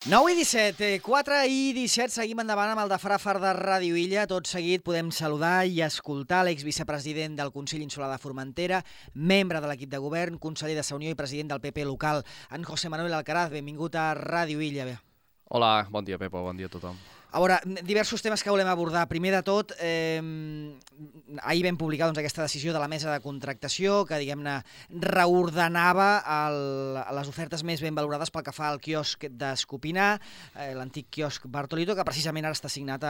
9 i 17, 4 i 17, seguim endavant amb el de Frafar de Ràdio Illa. Tot seguit podem saludar i escoltar l'exvicepresident del Consell Insular de Formentera, membre de l'equip de govern, conseller de Saunió i president del PP local, en José Manuel Alcaraz. Benvingut a Ràdio Illa. Hola, bon dia, Pepo, bon dia a tothom. A veure, diversos temes que volem abordar. Primer de tot, ahir vam publicar aquesta decisió de la mesa de contractació que, diguem-ne, reordenava les ofertes més ben valorades pel que fa al quiosc d'Escopinar, l'antic quiosc Bartolito, que precisament ara està assignat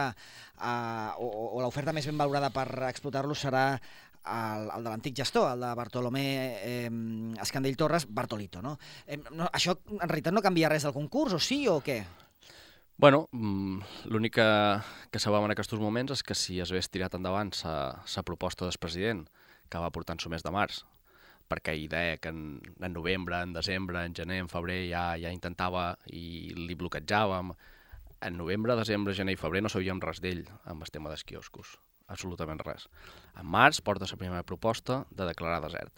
o l'oferta més ben valorada per explotar-lo serà el de l'antic gestor, el de Bartolomé Escandell Torres, Bartolito, no? Això en realitat no canvia res del concurs, o sí o què? Bueno, l'únic que sabem en aquests moments és que si es hagués tirat endavant la proposta del president, que va portar en el mes de març, perquè ell deia que en novembre, en desembre, en gener, en febrer ja intentava i li bloquejàvem. En novembre, desembre, gener i febrer no sabíem res d'ell amb el tema dels quioscos, absolutament res. En març porta la primera proposta de declarar desert.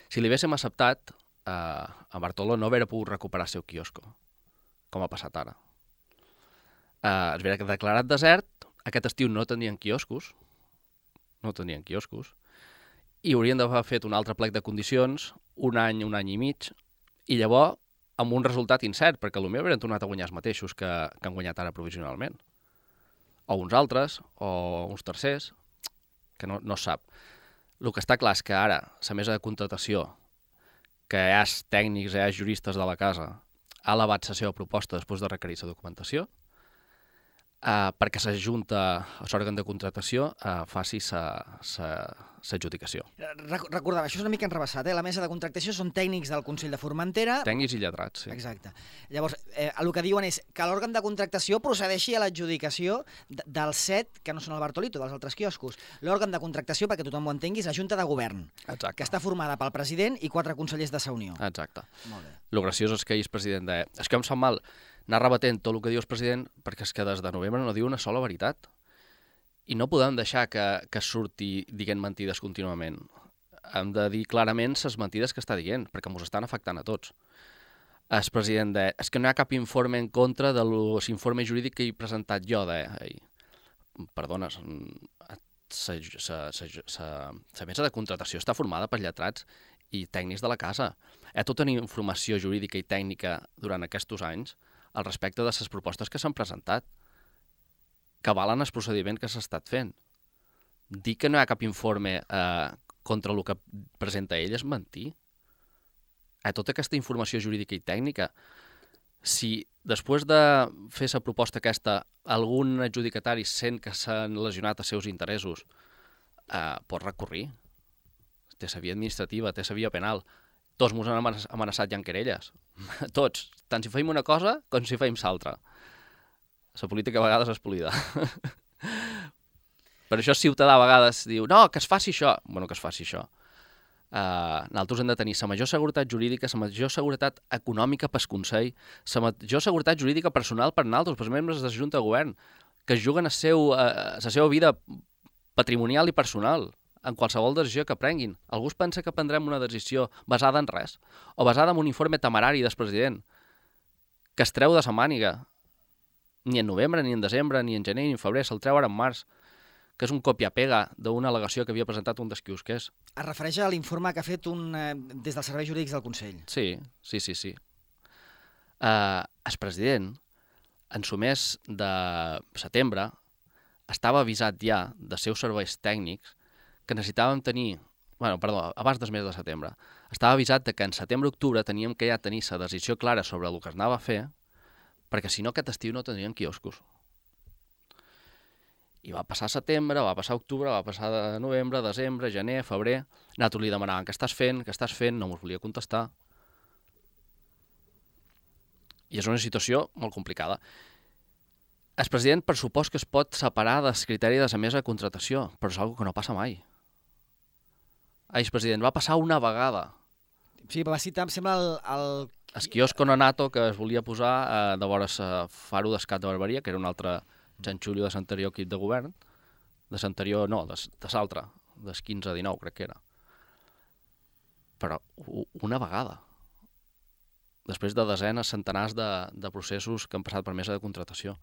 Si li haguéssim acceptat, a Bartoló no hauria pogut recuperar el seu quiosco, com ha passat ara. Es veia que declarat desert, aquest estiu no tenien quioscos, i haurien d'haver fet un altre plec de condicions, un any i mig, i llavors amb un resultat incert, perquè potser haurien tornat a guanyar els mateixos que han guanyat ara provisionalment. O uns altres, o uns tercers, que no es sap. El que està clar és que ara la mesa de contratació, que hi ha tècnics, hi ha juristes de la casa, ha elevat la seva proposta després de requerir la documentació, perquè la Junta, l'òrgan de contratació, faci l'adjudicació. Recordava, això és una mica enrebaçat, la mesa de contractació són tècnics del Consell de Formentera. Tècnics i lletrats, sí. Exacte. Llavors, el que diuen és que l'òrgan de contractació procedeixi a l'adjudicació dels 7, que no són el Bartolito, dels altres quioscos. L'òrgan de contractació, perquè tothom ho entengui, és la Junta de Govern, Exacte. Que està formada pel president i 4 consellers de Saunió. Exacte. Molt bé. El graciós és que ell és president de... És que em sap mal anar rebatent tot el que diu el president, perquè és que des de novembre no diu una sola veritat. I no podem deixar que surti dient mentides contínuament. Hem de dir clarament les mentides que està dient, perquè ens estan afectant a tots. El president deia, és que no hi ha cap informe en contra de l'informe jurídic que he presentat jo. Perdona, la mesa de contratació està formada per lletrats i tècnics de la casa. Hi ha tota una informació jurídica i tècnica durant aquests anys al respecte de les propostes que s'han presentat, que valen el procediment que s'ha estat fent. Dir que no hi ha cap informe contra el que presenta ell és mentir. Tota aquesta informació jurídica i tècnica, si després de fer la proposta aquesta algun adjudicatari sent que s'han lesionat els seus interessos, pot recórrer. Té la via administrativa, té la via penal. Tots ens han amenaçat ja en querelles. Tots. Tant si feim una cosa com si feim l'altra. La política a vegades és polida. Per això el ciutadà a vegades diu no, que es faci això. Bueno, que es faci això. Nosaltres hem de tenir la major seguretat jurídica, la major seguretat econòmica pel Consell, la major seguretat jurídica personal per nosaltres, pels membres de la Junta de Govern, que juguen la seva vida patrimonial i personal en qualsevol decisió que prenguin. Algú es pensa que prendrem una decisió basada en res, o basada en un informe temerari del president, que es treu de la màniga. Ni en novembre, ni en desembre, ni en gener, ni en febrer, se'l treu ara en març, que és un copia-pega d'una al·legació que havia presentat un dels quiosquers. Es refereix a l'informe que ha fet des dels serveis jurídics del Consell. Sí. El president, en el mes de setembre, estava avisat ja dels seus serveis tècnics que necessitàvem tenir, abans del mes de setembre, estava avisat que en setembre-octubre teníem que ja tenir la decisió clara sobre el que es anava a fer, perquè si no aquest estiu no tindrien quioscos. I va passar setembre, va passar octubre, va passar novembre, desembre, gener, febrer. Nosaltres li demanàvem què estàs fent, no ens volia contestar. I és una situació molt complicada. El president, per supost que es pot separar del criteri de la mesa de contratació, però és una cosa que no passa mai. El president va passar una vegada. Sí, va citar, em sembla, el quiosco Nonato que es volia posar de vora el faro d'Escat de Barberia, que era un altre xanxullo de l'anterior equip de govern, de l'anterior, no, de l'altre, del 15-19 crec que era. Però una vegada. després de desenes, centenars de processos que han passat per mesa de contractació.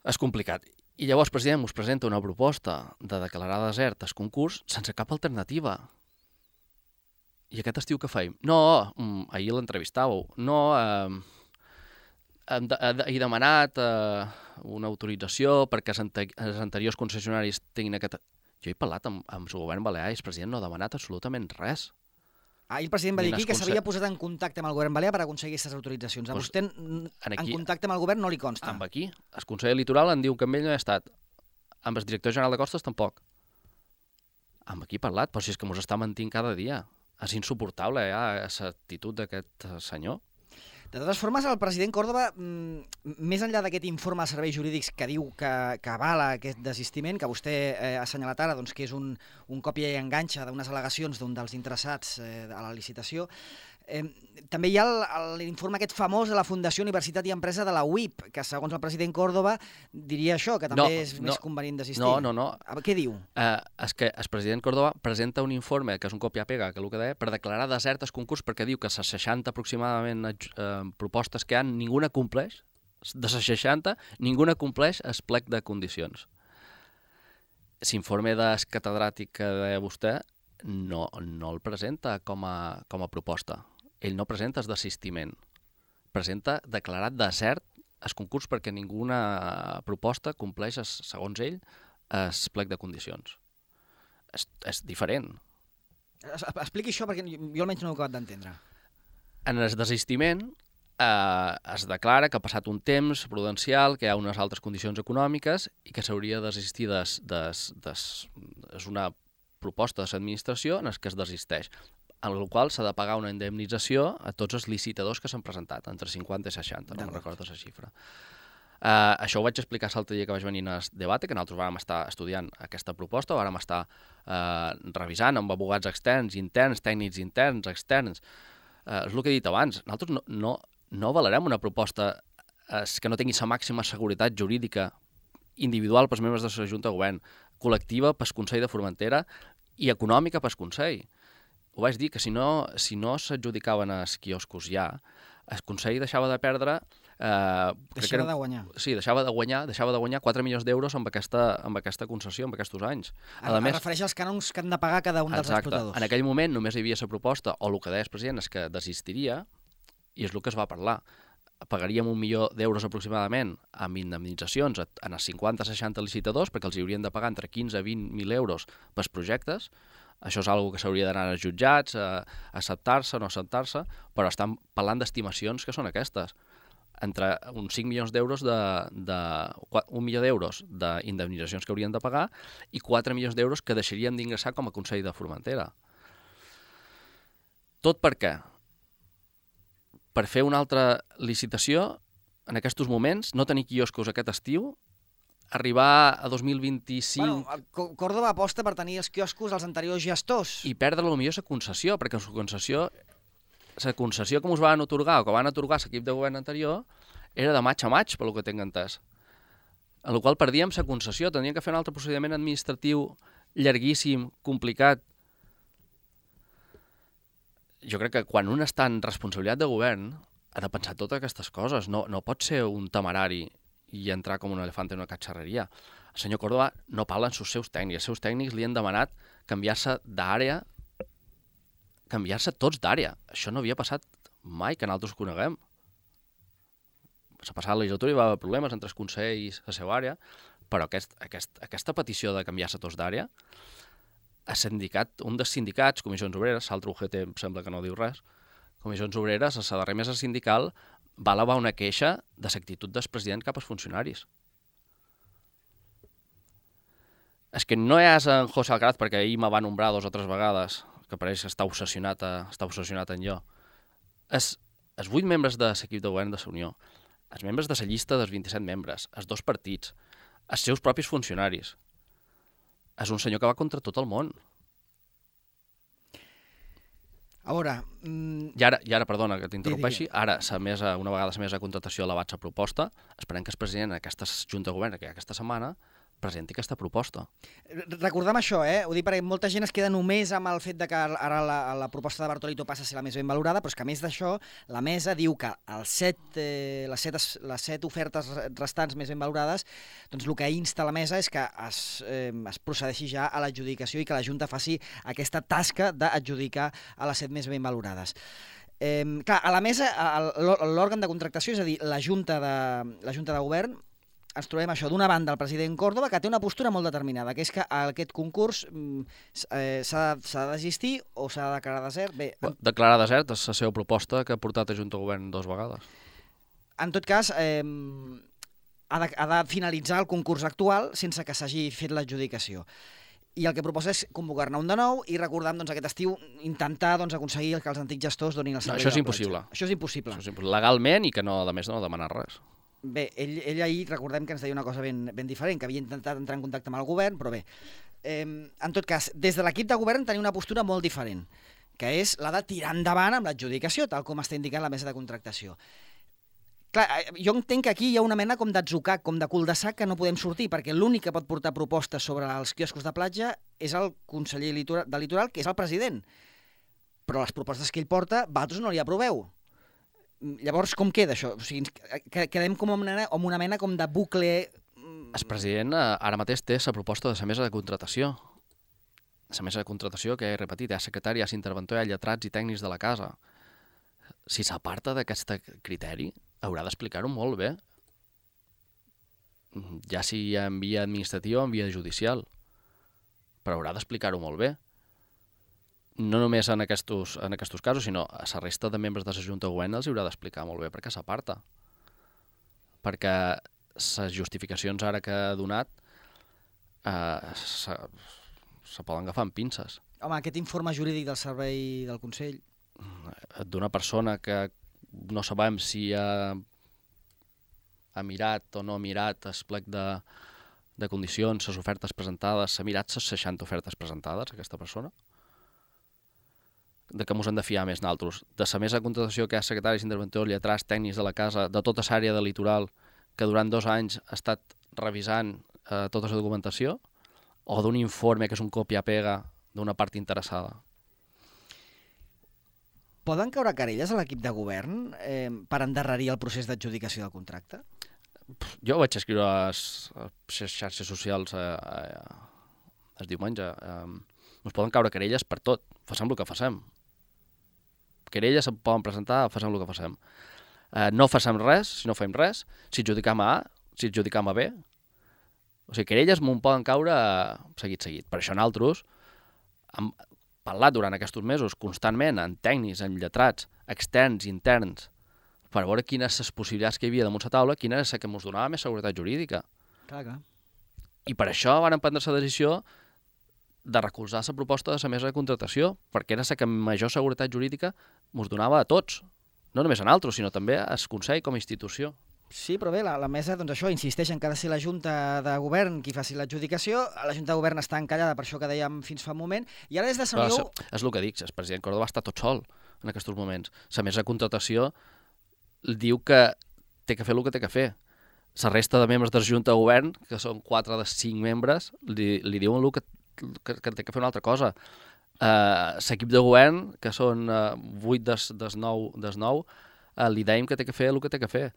És complicat. I llavors el president us presenta una proposta de declarar desert el concurs sense cap alternativa. I aquest estiu què feim? No, ahir l'entrevistàveu. No, he demanat una autorització perquè els anteriors concessionaris tinguin aquest... Jo he parlat amb el govern balear i el president no ha demanat absolutament res. Ahir el president va dir aquí que s'havia posat en contacte amb el govern balear per aconseguir aquestes autoritzacions. A vostè en contacte amb el govern no li consta. Amb aquí. El Consell Litoral en diu que amb ell no he estat. Amb el director general de Costes tampoc. Amb aquí he parlat, però si és que mos està mentint cada dia. És insuportable, aquesta actitud d'aquest senyor. De totes formes, el president Córdoba, més enllà d'aquest informe de serveis jurídics que diu que avala aquest desistiment, que vostè ha assenyalat ara, doncs, que és un còpia i enganxa d'unes al·legacions d'un dels interessats a la licitació, també hi ha l'informe aquest famós de la Fundació Universitat i Empresa de la UIP, que segons el president Córdoba diria això, que també és més convenient desistir. No. Què diu? És que el president Córdoba presenta un informe, que és un còpia-pega, que el que deia, per declarar desert el concurs, perquè diu que les 60 aproximadament propostes que hi ha, ninguna compleix, de les 60, ninguna compleix el plec de condicions. L'informe del catedràtic que deia vostè no el presenta com a proposta. Ell no presenta el desistiment. Presenta declarat desert el concurs perquè ninguna proposta compleix, segons ell, el plec de condicions. És diferent. Expliqui això perquè jo almenys no ho he acabat d'entendre. En el desistiment es declara que ha passat un temps prudencial, que hi ha unes altres condicions econòmiques i que s'hauria de desistir és una proposta de l'administració en què es desisteix, en la qual s'ha de pagar una indemnització a tots els licitadors que s'han presentat, entre 50 i 60, no me'n recordo la xifra. Això ho vaig explicar l'altre dia que vaig venir al debat, que nosaltres vàrem estar estudiant aquesta proposta, vàrem estar revisant amb abogats externs, interns, tècnics interns, externs. És el que he dit abans, nosaltres no avalarem una proposta que no tingui la màxima seguretat jurídica individual pels membres de la Junta de Govern, col·lectiva pel Consell de Formentera i econòmica pel Consell. Ho vaig dir, que si no s'adjudicaven els quioscos ja, el Consell deixava de perdre... Deixava de guanyar. Sí, deixava de guanyar 4 milions d'euros amb aquesta concessió, amb aquests anys. Es refereix als cànons que han de pagar cada un dels explotadors. En aquell moment només hi havia la proposta, o el que deia el president és que desistiria, i és el que es va parlar. Pagaríem 1 milió d'euros aproximadament amb indemnitzacions en els 50-60 licitadors, perquè els hi haurien de pagar entre 15 i 20.000 euros pels projectes. Això és una que s'hauria d'anar als jutjats, a acceptar-se o no acceptar-se, però estan parlant d'estimacions que són aquestes. Entre uns 5 milions d'euros 1 milió d'euros d'indemnitzacions que haurien de pagar i 4 milions d'euros que deixaríem d'ingressar com a Consell de Formentera. Tot per què? Per fer una altra licitació, en aquests moments, no tenir quioscos aquest estiu, arribar a 2025... Bueno, Córdoba aposta per tenir els quioscos als anteriors gestors. I perdre potser la concessió, perquè la concessió que ens van atorgar o que van atorgar l'equip de govern anterior era de maig a maig, pel que tinc entès. En la qual perdíem la concessió, tindríem que fer un altre procediment administratiu llarguíssim, complicat. Jo crec que quan un està en responsabilitat de govern ha de pensar totes aquestes coses. No pot ser un temerari i entrar com un elefant en una catxarreria. El senyor Córdoba no parla amb els seus tècnics. Els seus tècnics li han demanat canviar-se d'àrea, canviar-se tots d'àrea. Això no havia passat mai que nosaltres coneguem. La passada legislatura hi va haver problemes entre els consells i la seva àrea, però aquesta petició de canviar-se tots d'àrea, un dels sindicats, Comissions Obreres, l'altre UGT em sembla que no diu res, Comissions Obreres, a la darrera mesa sindical, va elevar una queixa de l'actitud del president cap als funcionaris. És que no és en José Alcaraz, perquè ahir me va nombrar 2 o 3 vegades, que pareix que està obsessionat en jo. Els 8 membres de l'equip de govern de la Unió, els membres de la llista dels 27 membres, els 2 partits, els seus propis funcionaris. És un senyor que va contra tot el món. A veure... I ara, perdona que t'interrompeixi, ara una vegada la mesa de contractació ha elevat la proposta, esperem que el president en aquesta Junta de Govern, que hi ha aquesta setmana, presenti aquesta proposta. Recordem això, ho dic perquè molta gent es queda només amb el fet de que ara la proposta de Bartolito passa a ser la més ben valorada, però és que a més d'això, la mesa diu que les set ofertes restants més ben valorades, doncs el que insta la mesa és que es procedeixi ja a l'adjudicació i que la Junta faci aquesta tasca d'adjudicar a les 7 més ben valorades. Clar, a la mesa, l'òrgan de contractació, és a dir, la Junta de Govern, ens trobem això, d'una banda el president Córdoba, que té una postura molt determinada, que és que aquest concurs s'ha de desistir o s'ha de declarar desert. Bé, declarar desert és la seva proposta que ha portat a Junta de Govern 2 vegades. En tot cas, ha de finalitzar el concurs actual sense que s'hagi fet l'adjudicació. I el que proposa és convocar-ne un de nou i recordar aquest estiu intentar aconseguir que els antics gestors donin el servei. Això és impossible. Això és impossible. Legalment i que no, a més no demanar res. Bé, ell ahir recordem que ens deia una cosa ben diferent, que havia intentat entrar en contacte amb el govern, però bé, en tot cas, des de l'equip de govern tenia una postura molt diferent, que és la de tirar endavant amb l'adjudicació, tal com està indicant la mesa de contractació. Clar, jo entenc que aquí hi ha una mena com d'atzucac, com de cul-de-sac que no podem sortir, perquè l'únic que pot portar propostes sobre els quioscos de platja és el conseller de Litoral, que és el president. Però les propostes que ell porta, vosaltres no li aproveu. Llavors, com queda això? O sigui, quedem com amb una mena com de bucle... El president ara mateix té la proposta de la mesa de contratació. La mesa de contratació, que he repetit, hi ha secretari, hi ha interventor, hi ha lletrats i tècnics de la casa. Si s'aparta d'aquest criteri, haurà d'explicar-ho molt bé. Ja sigui en via administrativa o en via judicial. Però haurà d'explicar-ho molt bé. No només en aquests casos, sinó a la resta de membres de la Junta de Govern els haurà d'explicar molt bé perquè s'aparta. Perquè les justificacions ara que ha donat se poden agafar amb pinces. Home, aquest informe jurídic del servei del Consell... D'una persona que no sabem si ha mirat o no ha mirat el plec de condicions, les ofertes presentades, s'ha mirat les 60 ofertes presentades, aquesta persona? De què ens hem de fiar més naltros? De la mesa de contratació que hi ha secretaris, interventors, lletrats, tècnics de la casa, de tota l'àrea de litoral, que durant 2 anys ha estat revisant tota la documentació, o d'un informe que és un copia-pega d'una part interessada? Poden caure querelles a l'equip de govern per endarrerir el procés d'adjudicació del contracte? Jo vaig escriure a les xarxes socials el diumenge. Ens poden caure querelles per tot. Facem el que facem. Querelles se poden presentar, facem el que facem. No facem res, si no fem res, si adjudicam a A, si adjudicam a B. O sigui, querelles m'ho poden caure seguit. Per això nosaltres hem parlat durant aquests mesos constantment amb tècnics, amb lletrats, externs i interns, per veure quines les possibilitats que hi havia damunt la taula, quina és la que ens donava més seguretat jurídica. Clar. I per això van prendre la decisió de recolzar la proposta de la mesa de contratació, perquè era la que major seguretat jurídica ens donava a tots, no només a nosaltres, sinó també al Consell com a institució. Sí, però bé, la mesa, doncs això, insisteix en que ha de ser la Junta de Govern qui faci l'adjudicació. La Junta de Govern està encallada per això que dèiem fins fa un moment, i ara des de Sant Niu... És el que dic, el president Córdoba està tot sol en aquests moments. La mesa de contratació diu que té que fer el que té que fer. La resta de membres de la Junta de Govern, que són 4 de 5 membres, li diuen que té que fer una altra cosa. L'equip de govern, que són 8 des 9, li dèiem que té que fer el que té que fer.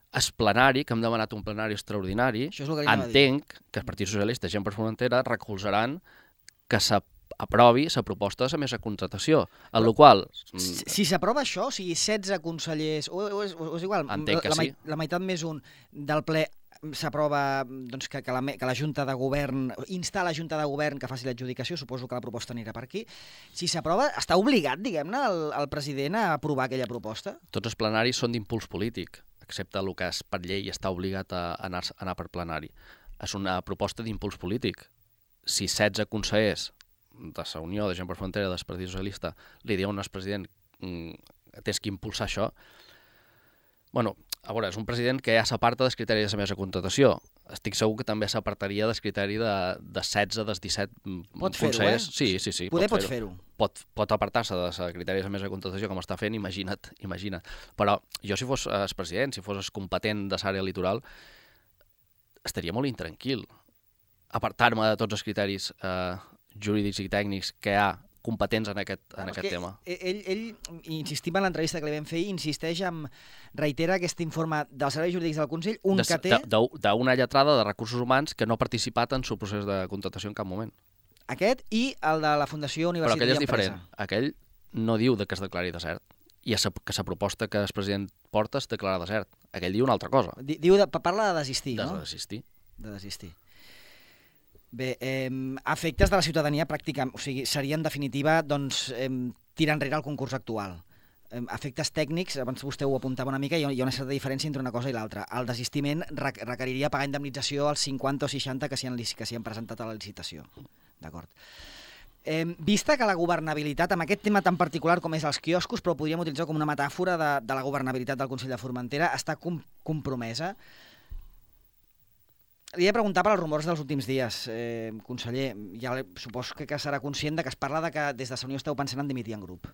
El plenari, que hem demanat un plenari extraordinari, entenc que el Partit Socialista i Gent per Frontera recolzaran que s'aprovi la proposta de la mesa de contratació, en la qual... Si s'aprova això, o sigui, 16 consellers, o és igual, la meitat més un del ple s'aprova doncs, que la Junta de Govern, instar la Junta de Govern que faci l'adjudicació, suposo que la proposta anirà per aquí. Si s'aprova, està obligat, diguem-ne, el president a aprovar aquella proposta? Tots els plenaris són d'impuls polític, excepte el que és per llei està obligat a anar per plenari. És una proposta d'impuls polític. Si 16 consellers de la Unió de Gent per Frontera del Partit Socialista li diuen al president tens que impulsar això, bueno, a veure, és un president que ja s'aparta dels criteris de la mesa de contratació. Estic segur que també s'apartaria del criteri de 16 dels 17 consellers. Sí, pot fer-ho. Pot apartar-se dels criteris de la mesa de contratació com està fent, imagina't. Però jo, si fos el president, si fos el competent de l'àrea litoral, estaria molt intranquil. apartar-me de tots els criteris jurídics i tècnics que hi ha competents en aquest tema. Ell, insistim en l'entrevista que li vam fer, reitera aquest informe dels serveis jurídics del Consell, que té... D'una lletrada de recursos humans que no ha participat en el procés de contractació en cap moment. Aquest i el de la Fundació Universitat i Empresa. Però aquell és diferent. Aquell no diu que es declari desert. I que la proposta que el president porta es declara desert. Aquell diu una altra cosa. Parla de desistir, no? De desistir. Bé, efectes de la ciutadania pràcticament, o sigui, seria en definitiva tirar enrere el concurs actual. Efectes tècnics, abans vostè ho apuntava una mica, hi ha una certa diferència entre una cosa i l'altra. El desistiment requeriria pagar indemnització als 50 o 60 que s'hi han presentat a la licitació. D'acord. Vista que la governabilitat, amb aquest tema tan particular com és els quioscos, però ho podríem utilitzar com una metàfora de la governabilitat del Consell de Formentera, està compromesa. Li he de preguntar per als rumors dels últims dies, conseller. Ja suposo que serà conscient que es parla que des de la Unió esteu pensant en dimitir en grup.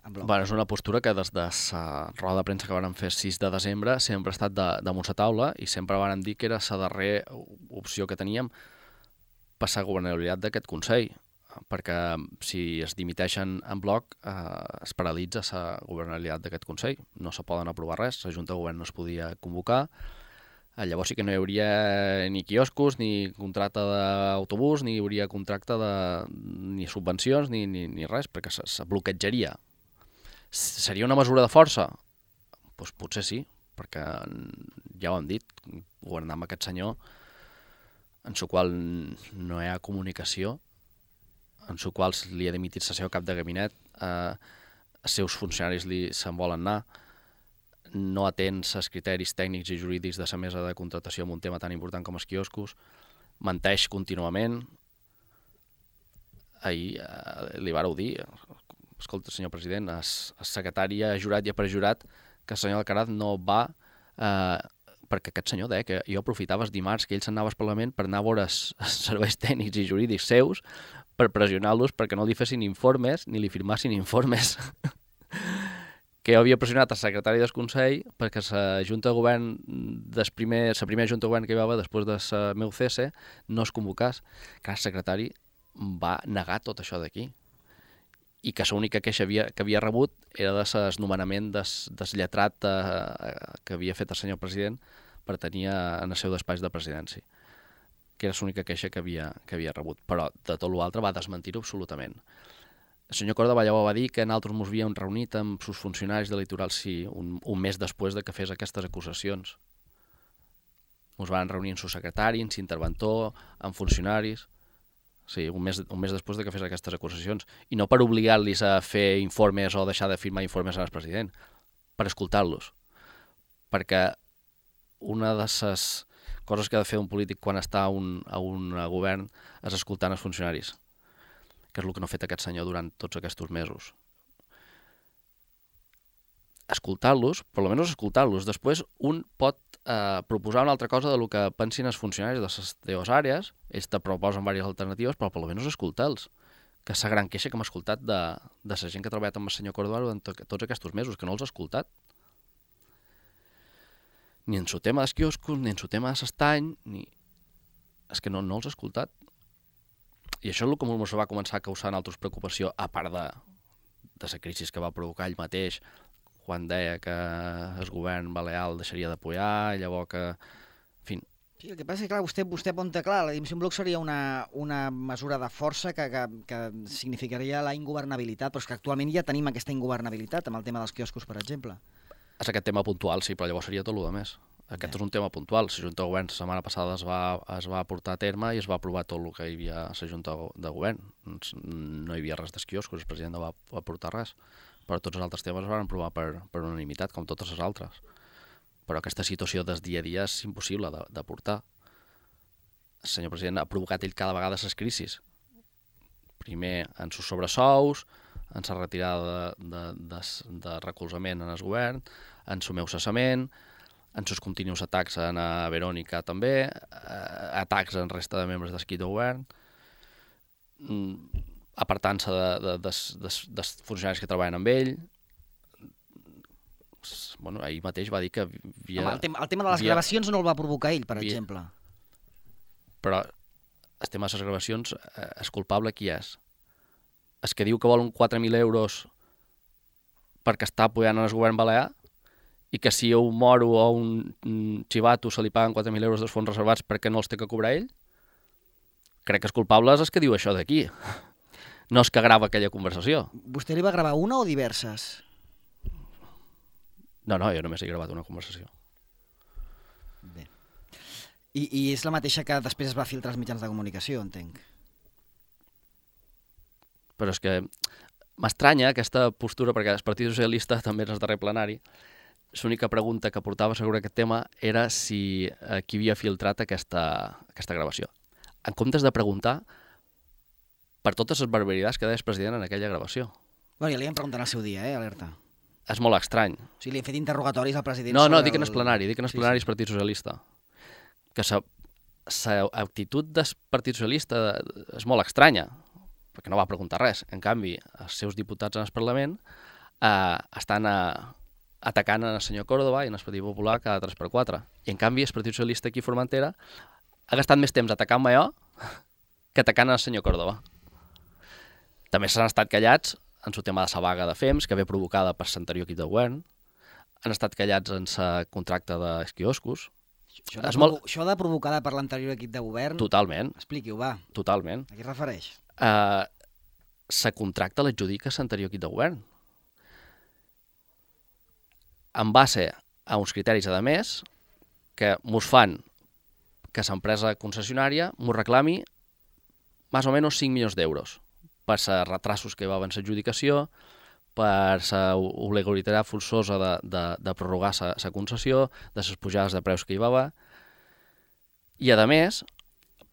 És una postura que des de la roda de premsa que vam fer 6 de desembre sempre ha estat damunt la taula i sempre vam dir que era la darrera opció que teníem per la governabilitat d'aquest Consell, perquè si es dimiteixen en bloc es paralitza la governabilitat d'aquest Consell. No se poden aprovar res, la Junta de Govern no es podia convocar. Llavors sí que no hi hauria ni quioscos, ni contracte d'autobús, ni hi hauria contracte ni subvencions, ni res, perquè se bloquejaria. Seria una mesura de força? Doncs potser sí, perquè ja ho hem dit, governar amb aquest senyor, en el qual no hi ha comunicació, en el qual li ha dimitit el seu cap de gabinet, els seus funcionaris se'n volen anar, no atén els criteris tècnics i jurídics de la mesa de contractació en un tema tan important com els quioscos, menteix contínuament. Ahir li vareu dir, escolta, senyor president, el secretari ha jurat i ha perjurat que el senyor Alcaraz no va, perquè aquest senyor deia que jo aprofitava els dimarts que ell s'anava al Parlament per anar a veure els serveis tècnics i jurídics seus per pressionar-los perquè no li fessin informes ni li firmassin informes. Que jo havia pressionat el secretari del Consell perquè la Junta de Govern, la primera Junta de Govern que hi va haver després del meu cese, no es convocés. Que el secretari va negar tot això d'aquí. I que l'única queixa que havia rebut era del nomenament del lletrat que havia fet el senyor president per tenir en el seu despatx de presidència. Que era l'única queixa que havia rebut. Però de tot l'altre va desmentir-ho absolutament. El senyor Corda Vallavo va dir que nosaltres ens havíem reunit amb els funcionaris de Litoral Sí un mes després de que fes aquestes acusacions. Ens van reunir amb el secretari, amb l'interventor, amb funcionaris... Sí, un mes després de que fes aquestes acusacions. I no per obligar-los a fer informes o deixar de firmar informes al president, per escoltar-los. Perquè una de les coses que ha de fer un polític quan està a un govern és escoltar els funcionaris, que és el que no ha fet aquest senyor durant tots aquests mesos. Escoltar-los, per almenys escoltar-los. Després un pot proposar una altra cosa del que pensin els funcionaris de les teves àrees, ells te proposen diverses alternatives, però per almenys escoltar-los. Que és la gran queixa que hem escoltat de la gent que ha treballat amb el senyor Cordoba durant tots aquests mesos, que no els ha escoltat. Ni en el tema dels quioscos, ni en el tema de l'estany, és que no els ha escoltat. I això és el que ens va començar a causar en altres preocupació, a part de la crisi que va provocar ell mateix, quan deia que el govern balear deixaria d'apoyar, llavors que... En fi. Sí, el que passa és que, clar, vostè apunta, clar, la dimissió en bloc seria una mesura de força que significaria la ingovernabilitat, però és que actualment ja tenim aquesta ingovernabilitat amb el tema dels quioscos, per exemple. És aquest tema puntual, sí, però llavors seria tot el més. Aquest és un tema puntual. La Junta de Govern la setmana passada es va portar a terme i es va aprovar tot el que hi havia a la Junta de Govern. No hi havia res dels quioscos, el president no va portar res. Però tots els altres temes es van aprovar per unanimitat, com totes les altres. Però aquesta situació del dia a dia és impossible de portar. El senyor president ha provocat ell cada vegada les crisis. Primer en sus sobresous, en la retirada de recolzament en el govern, en el meu cessament, en els continus atacs a Verònica també, atacs en resta de membres d'equip de govern, apartant-se dels funcionaris que treballen amb ell. Bueno, ahir mateix va dir que havia... El tema de les gravacions no el va provocar ell, per exemple. Però el tema de les gravacions, el culpable qui és? El que diu que volen 4.000 euros perquè està apoyant el govern balear i que si a un moro o un xivato se li paguen 4.000 euros dels fons reservats perquè no els té que cobrar ell? Crec que el culpable és el que diu això d'aquí. No és que grava aquella conversació. Vostè li va gravar una o diverses? No, jo només he gravat una conversació. Bé. I és la mateixa que després es va filtrar als mitjans de comunicació, entenc. Però és que m'estranya aquesta postura, perquè el Partit Socialista també en el darrer plenari, l'única pregunta que portava sobre aquest tema era si qui havia filtrat aquesta gravació. En comptes de preguntar per totes les barbaritats que deia el president en aquella gravació. Bueno, ja li vam preguntar al seu dia, alerta. És molt estrany. O sigui, li hem fet interrogatoris al president No, dic en el plenari, dic en el plenari del Partit Socialista. Que l'actitud del Partit Socialista és molt estranya, perquè no va preguntar res. En canvi, els seus diputats en el Parlament estan atacant el senyor Córdoba i en el Partit Popular cada 3x4. I en canvi, el Partit Socialista aquí a Formentera ha gastat més temps atacant-me jo que atacant el senyor Córdoba. També s'han estat callats en el tema de la vaga de FEMS, que ve provocada per l'anterior equip de govern. Han estat callats en el contracte dels quioscos. Això de provocada per l'anterior equip de govern... Totalment. Expliqui-ho, va. Totalment. A què es refereix? La contracta l'adjudica l'anterior equip de govern. En base a uns criteris, a més, que mos fan que l'empresa concessionària mos reclami més o menys 5 milions d'euros per els retrasos que hi va haver en l'adjudicació, per la obligatorietat forçosa de prorrogar la concessió, de les pujades de preus que hi va haver, i a més,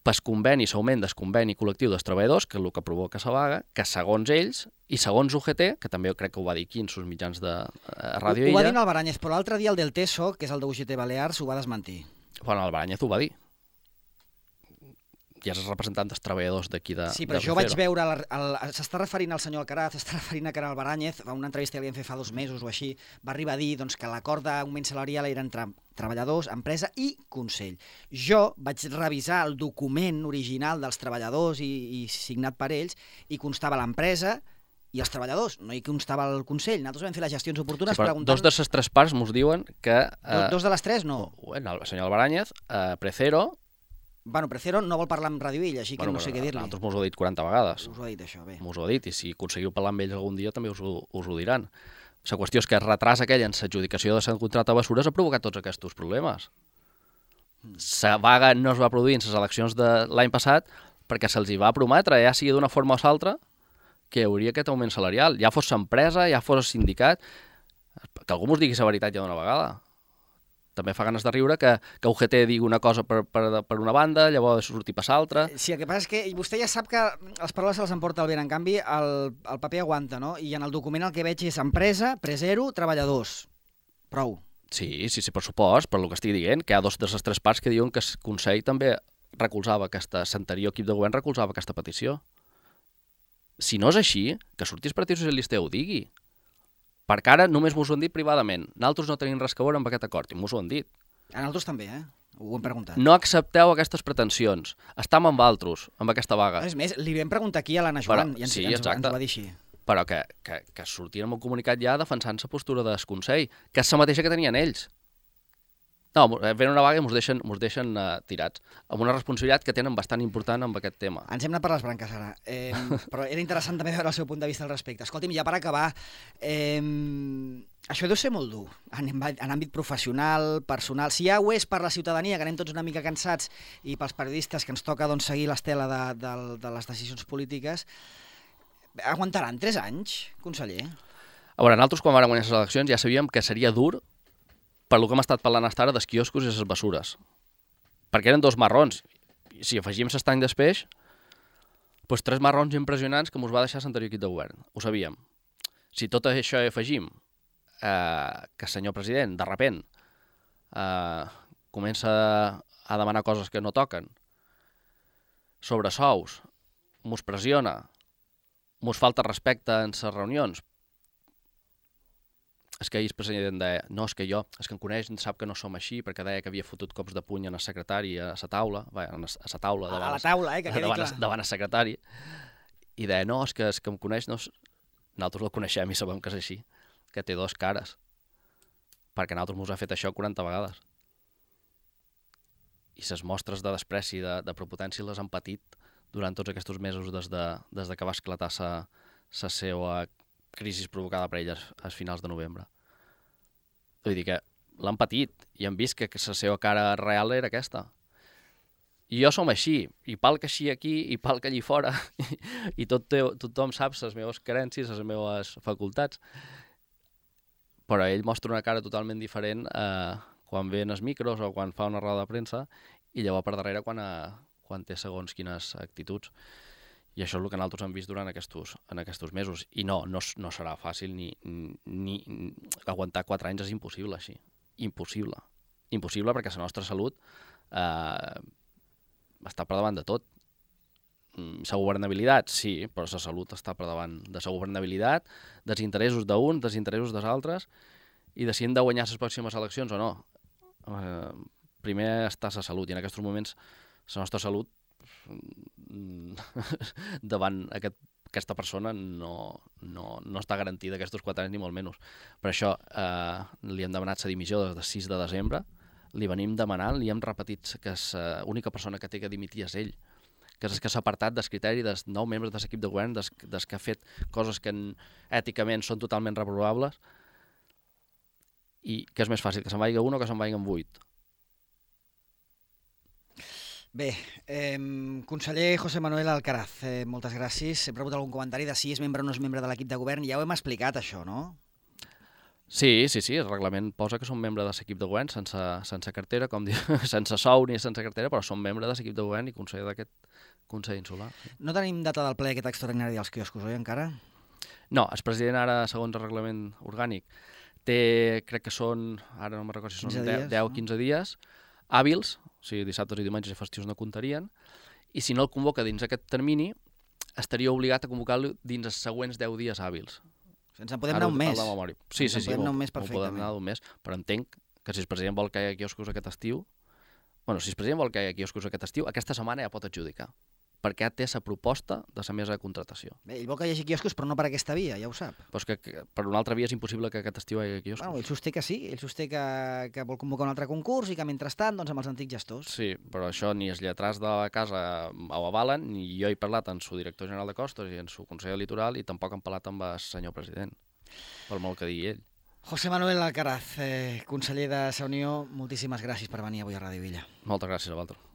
pel conveni, l'augment del conveni col·lectiu dels treballadors, que és el que provoca la vaga, que segons ells, i segons UGT, que també crec que ho va dir aquí en els mitjans de Ràdio Illa... Ho va dir en Albaranyez, però l'altre dia el del TESO, que és el de UGT Balears, ho va desmentir. Bueno, Albaranyez ho va dir. I és el representant dels treballadors d'aquí de Sí, però jo vaig veure... S'està referint al senyor Alcaraz, s'està referint a Caral Albaranyez, a una entrevista que li vam fer fa 2 mesos o així, va arribar a dir que l'acord d'augment salarial era entre treballadors, empresa i Consell. Jo vaig revisar el document original dels treballadors i signat per ells i constava l'empresa i els treballadors, no hi constava el Consell. Nosaltres vam fer les gestions oportunes preguntant... Dos de les 3 parts mos diuen que... Dos de les 3, no. Bueno, el senyor Albaranyez, Precero... Bueno, Precero no vol parlar amb Ràdio Illa, així que no sé què dir-li. Nosaltres mos ho ha dit 40 vegades. Us ho ha dit això, bé. Mos ho ha dit, i si aconseguiu parlar amb ells algun dia també us ho diran. La qüestió és que el retras aquell en l'adjudicació de Sant Contracte a Bessures ha provocat tots aquests problemes. La vaga no es va produir en les eleccions de l'any passat perquè se'ls hi va prometre, ja sigui d'una forma o l'altra, que hi hauria aquest augment salarial. Ja fos l'empresa, ja fos el sindicat, que algú mos digui la veritat ja d'una vegada. També fa ganes de riure que UGT digui una cosa per una banda, llavors sortir per l'altra. Sí, el que passa és que vostè ja sap que les paraules se les emporta el vent. En canvi, el paper aguanta, no? I en el document el que veig és empresa, Precero, treballadors. Prou. Sí, per supost, per el que estic dient, que hi ha 2 de les 3 parts que diuen que el Consell també recolzava l'anterior equip de govern recolzava aquesta petició. Si no és així, que surti el Partit Socialista i ho digui. Perquè ara només mos ho han dit privadament. Nosaltres no tenim res que veure amb aquest acord, i mos ho han dit. A nosaltres també, Ho hem preguntat. No accepteu aquestes pretensions. Estam amb altres, amb aquesta vaga. És més, li vam preguntar aquí a l'Anna Joan, i ens va dir així. Però que sortien amb un comunicat ja defensant la postura del Consell, que és la mateixa que tenien ells. No, ven una vaga i mos deixen tirats, amb una responsabilitat que tenen bastant important amb aquest tema. Ens hem anat per les branques ara, però era interessant també veure el seu punt de vista al respecte. Escolti'm, ja per acabar, això deu ser molt dur, en àmbit professional, personal. Si ja ho és per la ciutadania, que anem tots una mica cansats, i pels periodistes que ens toca seguir l'estela de les decisions polítiques, aguantaran 3 anys, conseller? A veure, nosaltres quan vam guanyar les eleccions ja sabíem que seria dur per el que hem estat parlant fins ara dels quioscos i les bessures. Perquè eren 2 marrons. I si afegim l'estany després, doncs 3 marrons impressionants que ens va deixar l'anterior equip de govern. Ho sabíem. Si tot això afegim que el senyor president, de repent, comença a demanar coses que no toquen, sobre sous, mos pressiona, mos falta respecte en les reunions, és que ahir el president deia, no, és que em coneix, sap que no som així, perquè deia que havia fotut cops de puny en el secretari a la taula, a la taula, a la taula, que quedi clar. Davant el secretari, i deia, no, és que em coneix, no, nosaltres el coneixem i sabem que és així, que té dos cares, perquè nosaltres ens ha fet això 40 vegades. I les mostres de despreci, de prepotència, les han patit durant tots aquests mesos des que va esclatar la seva crisi provocada per elles a finals de novembre. Vull dir que l'han patit i han vist que la seva cara real era aquesta. I jo som així, i palc així aquí, i palc allí fora, i tothom sap les meves carències, les meves facultats, però ell mostra una cara totalment diferent quan ve en els micros o quan fa una roda de premsa, i llavors per darrere quan té segons quines actituds. I això és el que nosaltres hem vist durant aquests mesos. I no serà fàcil ni aguantar 4 anys és impossible així. Impossible. Impossible perquè la nostra salut està per davant de tot. La governabilitat, sí, però la salut està per davant de la governabilitat, dels interessos d'uns, dels interessos dels altres, i de si hem de guanyar les pròximes eleccions o no. Primer està la salut, i en aquests moments la nostra salut davant aquesta persona no està garantida aquests 4 anys ni molt menys. Per això li hem demanat la dimissió des del 6 de desembre, li venim demanant, li hem repetit que l'única persona que té que dimitir és ell, que és que s'ha apartat del criteri dels 9 membres de l'equip de govern, des que ha fet coses que èticament són totalment reprovables, i que és més fàcil que se'n vagi un o que se'n vagin 8. Bé, conseller José Manuel Alcaraz, moltes gràcies. Hem rebut algun comentari de si és membre o no és membre de l'equip de govern. Ja ho hem explicat, això, no? Sí, el reglament posa que som membre de l'equip de govern sense cartera, com diu, sense sou ni sense cartera, però som membre de l'equip de govern i conseller d'aquest Consell Insular. No tenim data del ple aquest extraordinari dels quioscos, oi, encara? No, el president ara, segons el reglament orgànic, té, crec que són, ara no me'n recordo si són 10 o 15 dies, hàbils, o sigui, dissabtes i diumenges i festius no comptarien, i si no el convoca dins aquest termini, estaria obligat a convocar-lo dins els següents 10 dies hàbils. Ens en podem anar un mes. Sí, podem anar un mes perfectament. Podem anar un mes, però entenc que si el president vol que hi hagi quioscos aquest estiu, si el president vol que hi hagi quioscos aquest estiu, aquesta setmana ja pot adjudicar, perquè té la proposta de la mesa de contratació. Bé, ell vol que hi hagi quioscos, però no per aquesta via, ja ho sap. Però és que per una altra via és impossible que aquest estiu hi hagi quioscos. Ell sosté que sí, ell sosté que vol convocar un altre concurs i que mentrestant, doncs, amb els antics gestors. Sí, però això ni els lletrats de la casa ho avalen, ni jo he parlat amb el director general de costos i amb el conseller litoral, i tampoc hem parlat amb el senyor president, per molt que digui ell. José Manuel Alcaraz, conseller de la Unió, moltíssimes gràcies per venir avui a Ràdio Villa. Moltes gràcies a vosaltres.